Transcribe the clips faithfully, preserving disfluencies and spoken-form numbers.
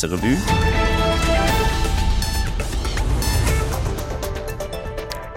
Revue.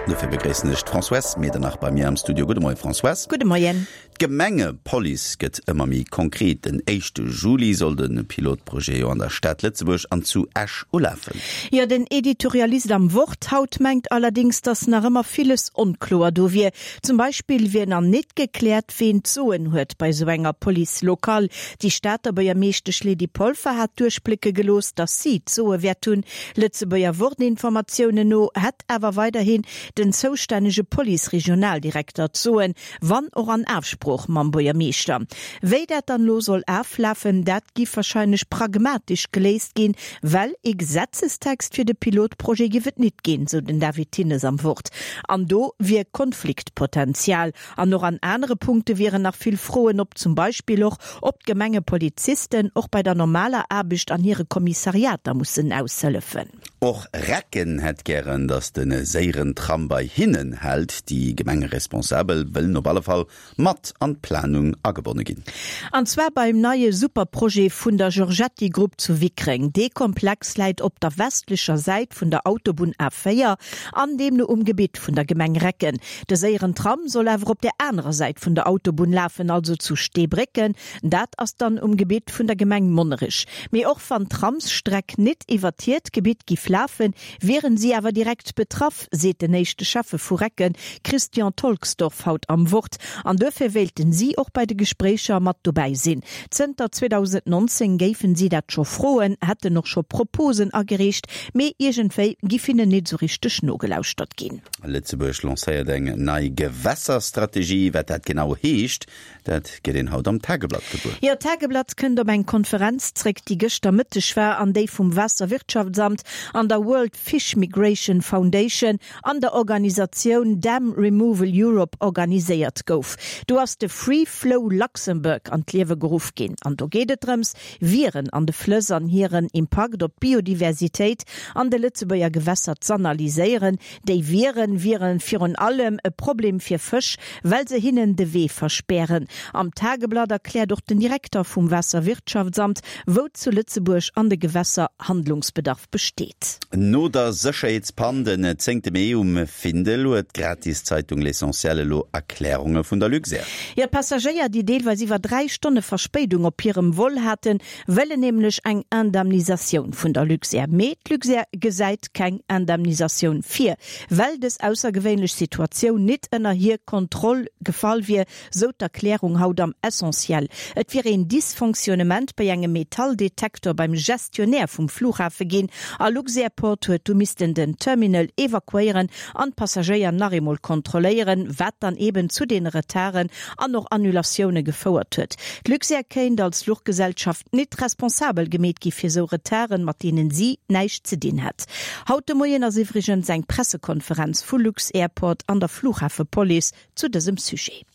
Dofir begréissen ech d'Françoise Medernach bei mir am Studio. Gudde Moien, Françoise. Gudde Moien. D'Gemengepolice gëtt ëmmer méi konkret. Den éischte Juli soll de Pilotprojet jo an der Stad Lëtzebuerg an zu Esch ulafen. Jo, den Editorialist am Wort haut mengt allerdéngs, datt nach ëmmer villes onkloer do wier. Zum Beispill wier nach nit gekläert, ween d'Soen huet bei sou enger Police locale. Déi Stater Buergermeeschtesch Lydie Polfer hat duerchblécke gelooss, datt si d'Soe wäert hunn. Lëtzebuerger Wort-Informatiounen no hätt awer weiderhin den zoustännege Police-Regionaldirekter d'Soen, wann och an Afsprooch mam Buergermeeschter. Wéi dat dann elo soll aflafen, dat giff warscheinlech pragmatesch geléist ginn, well ee Gesetzestext fir de Pilotprojet giff et nit ginn, sou den David Thinnes am Wort. An do wier Konfliktpotenzial. An och an anere Punkte wieren nach vill Froen op, zum Beispill och, ob d'Gemengepolizisten och bei der normaler Aarbecht an hire Kommissariater mussen aushëllefen. Och Recken hätt gären, datt de séieren Tram bei hinnen hält. Déi Gemengeresponsabel wëllen op alle Fall mat an d'Planung agebonne ginn. An zwar beim neie Superprojet vun der Giorgetti Group zu Wickreng. Dee Komplex läit op der westlecher Säit vun der Autobunn A véier an deemno um Gebitt vun der Gemeng Recken. De séieren Tram soll awer op der anerer Säit vun der Autobunn lafen, also zu Steebrécken. Dat ass dann um Gebitt vun der Gemeng Monnerech. Mee och wann d'Tramsstreck nit iwwert hiert Gebitt giff lafen, wieren si awer direkt betraff, seet den éischte Schäffe vu Recken, Christian Tolksdorf, haut am Wort. An duerfir wéilten si och bei de Gespréicher mat dobäi sinn. Zënter zweedausendnonzéng géifen si dat scho froen, hätten och scho Proposen agereecht, mee iergendwéi giff hinnen nit esou richteg nogelauschtert ginn. Lëtzebuerg lancéiert eng nei Gewässerstrategie. Wat dat genau heescht, dat gëtt een haut am Tageblatt gewuer. Jo, d'Tageblatt kënnt op eng Konferenz zréck, déi gëschter Mëtteg war an déi vum Waasserwirtschaftsamt an der World Fish Migration Foundation an der Organisatioun Dam Removal Europe organiséiert gouf. Do ass de Free Flow Luxembourg an d'Liewe geruff ginn an do geet et drëms, Wieren an de Flëss an hiren Impakt op d'Biodiversitéit an de Lëtzebuerger Gewässer z'analyséieren. Déi Wieren wiere virun allem e Problem fir Fësch, well se hinnen de Wee verspären. Am Tageblatt erkläert och den Direkter vum Waasserwirtschaftsamt, wou zu Lëtzebuerg an de Gewässer Handlungsbedarf besteet. No der Sécherheetspann den zéngte Mee um Findel huet d'Gratiszeitung L'Essentiel elo Erklärunge vun der Luxair. Jo, d'Passagéier, déi deelweis iwwer dräi Stonne Verspéidung op hirem Vol haten, wëllen nämlech eng Indemnisatioun vun der Luxair. Mee d'Luxair gesäit keng Indemnisatioun vir, well dës aussergewéinlech Situatioun nit ënner hir Kontroll gefall wier, sou d'Erklärung haut am Essentiel. Et wier een Dysfonctionnement bei engem Metalldetektor beim Gestionnaire vum Flughafe ginn a Luxairport huet du missten den Terminal evakuéieren an d'Passagéier nach eemol kontrolléieren, wat dann eben zu deene Retarden an och Annulatioune gefouert huet. D'Luxair kéint als Fluchgesellschaft nit responsabel gemeet gi fir sou Retarden, mat deenen si näischt ze dinn hätt. Haut de Moien ass iwwregens eng Pressekonferenz vu Lux-Airport an der Flughafepolice zu dësem Sujet.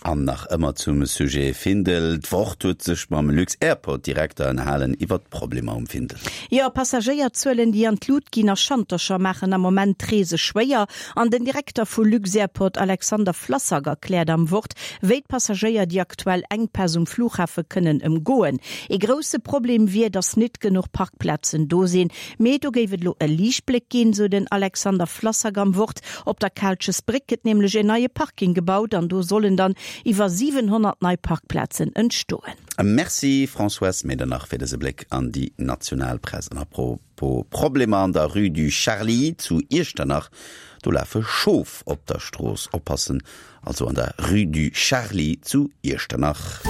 An nach ëmmer zum Sujet Findel, D'Wort huet sech mam Lux-Airport-Direkter ënnerhalen iwwer d'Problemer um Findel. Jo, Passagéierzuelen, déi an d'Lut ginn a Schantercher maachen am Moment d'Reese schwéier. An den Direkter vu Lux-Airport Alexander Flassak erkläert am Wort, wéi d'Passagéier déi aktuell Enkpäss um Flughafe kënnen ëmgoen. Ee grousse Problem wier, datt nit genuch Parkplazen do sinn. Mee do géif et elo e Liichtbléck ginn, sou den Alexander Flassak am Wort. Op der Kaalchesbréck gëtt nämlech een neie Parking gebaut an do sollen dann iwwer siwenhonnert nei Parkplazen entstoen. Merci Françoise Medernach fir dëse Bléck an déi national Press. An apropos Problemer an der Rue du Charly zu Iechternach, do lafe Schof op der Strooss. Oppassen also an der Rue du Charly zu Iechternach.